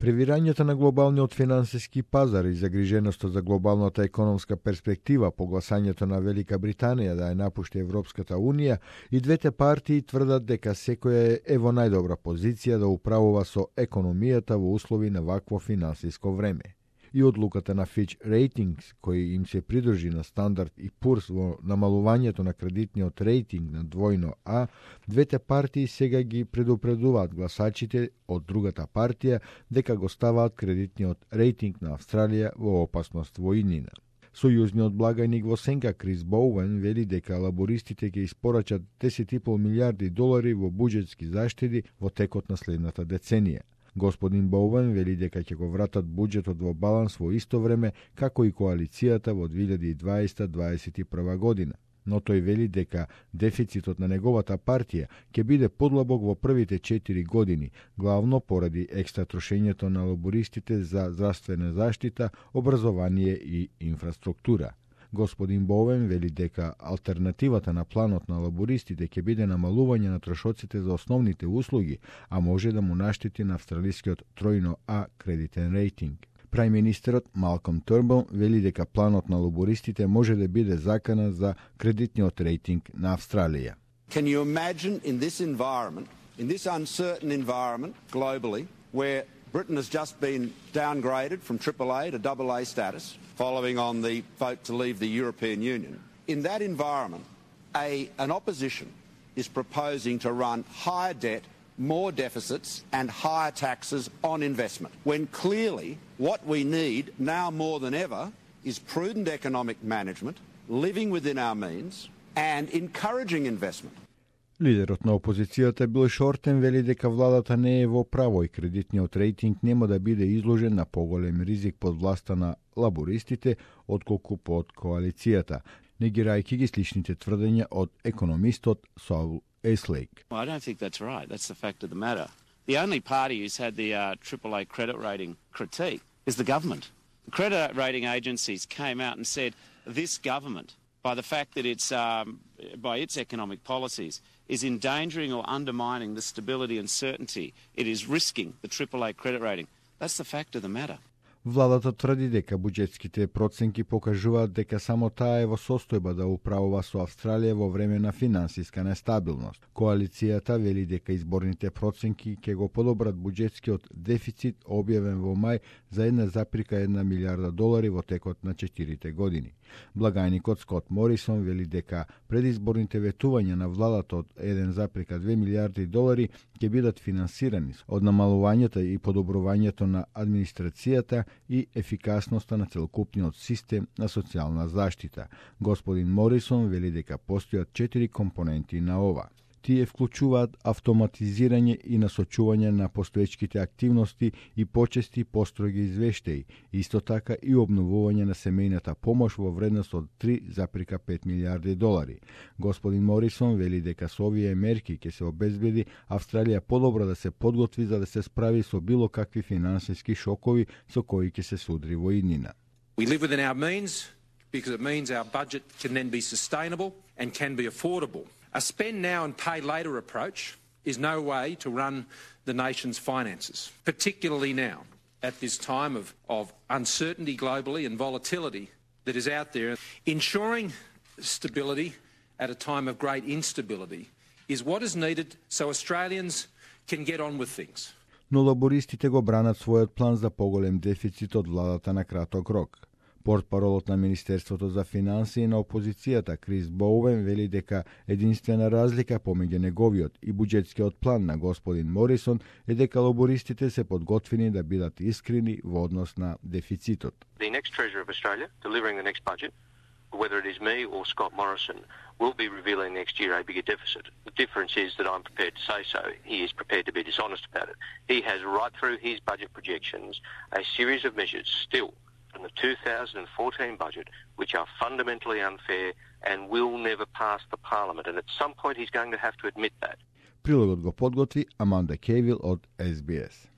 Превирањето на глобалниот финансиски пазар и загриженоста за глобалната економска перспектива по гласањето на Велика Британија да ја напушти Европската Унија, и двете партии тврдат дека секоја е во најдобра позиција да управува со економијата во услови на вакво финансиско време. И одлуката на Fitch Ratings, кој им се придржи на Standard и Poor's во намалувањето на кредитниот рейтинг на двојно А, двете партии сега ги предупредуваат гласачите од другата партија дека го ставаат кредитниот рейтинг на Австралија во опасност во иднина. Сојузниот благајник во сенка Крис Боуен вели дека лабористите ќе испорачат 10,5 милиарди долари во буџетски заштеди во текот на следната деценија. Господин Боуен вели дека ќе го вратат буџетот во баланс во исто време како и коалицијата во 2020-2021 година. Но тој вели дека дефицитот на неговата партија ќе биде подлабок во првите 4 години, главно поради екстра трошењето на лабористите за здравствена заштита, образование и инфраструктура. Господин Боуен вели дека алтернативата на планот на лабористите ќе биде намалување на трошоците за основните услуги, а може да му наштети на австралискиот тројно А кредитен рейтинг. Прајм-министерот Малком Турнбул вели дека планот на лабористите може да биде закана за кредитниот рейтинг на Австралија. Can you imagine in this environment, in this uncertain environment globally, where Britain has just been downgraded from AAA to AA status, following on the vote to leave the European Union. In that environment, an opposition is proposing to run higher debt, more deficits and higher taxes on investment, when clearly what we need now more than ever is prudent economic management, living within our means and encouraging investment. Лидерот на опозицијата Бил Шортен вели дека владата не е во право и кредитниот рейтинг нема да биде изложен на поголем ризик под власта на лабористите отколку под коалицијата, негирајќи ги сличните тврдења од економистот Сол Еслейк. I don't think that's right. That's the fact of the matter. The only party who's had the AAA credit rating critique is the government. The credit rating agencies came out and said this government, by the fact that it's by its economic policies, is endangering or undermining the stability and certainty. It is risking the AAA credit rating. That's the fact of the matter. Владата тврди дека буџетските проценки покажуваат дека само таа е во состојба да управува со Австралија во време на финансиска нестабилност. Коалицијата вели дека изборните проценки ќе го подобрат буџетскиот дефицит објавен во мај за 1,1 милиарда долари во текот на 4 години. Благајникот Скот Морисон вели дека предизборните ветувања на владата од 1,2 милиарди долари ќе бидат финансирани од намалувањето и подобрувањето на администрацијата и ефикасноста на целокупниот систем на социјална заштита. Господин Морисон вели дека постојат 4 компоненти на ова. Тие вклучуваат автоматизирање и насочување на постоечките активности и почести построги извештаи, исто така и обновување на семејната помош во вредност од 3,5 милиарди долари. Господин Морисон вели дека со овие мерки ќе се обезбеди Австралија подобро да се подготви за да се справи со било какви финансиски шокови со кои ќе се судри во иднина. We live within our means because it means our budget can then be sustainable and can be affordable. A spend now and pay later approach is no way to run the nation's finances, particularly now, at this time of uncertainty globally and volatility that is out there. Ensuring stability at a time of great instability is what is needed so Australians can get on with things. Но лабористите го бранат својот план за поголем дефицит од владата на краток рок. Портпаролот на Министерството за финансии на опозицијата Крис Боуен вели дека единствена разлика помеѓу неговиот и буџетскиот план на господин Морисон е дека лабористите се подготвени да бидат искрени во однос на дефицитот. The next Treasurer of Australia delivering the next budget, whether it is me or Scott Morrison, will be revealing next year a bigger deficit. The difference is that I'm prepared to say so. He is prepared to be dishonest about it. He has right through his budget projections a series of measures still from the 2014 budget which are fundamentally unfair and will never pass the Parliament. And at some point he's going to have to admit that. Прилогот го подготви Аманда Кейвил од SBS.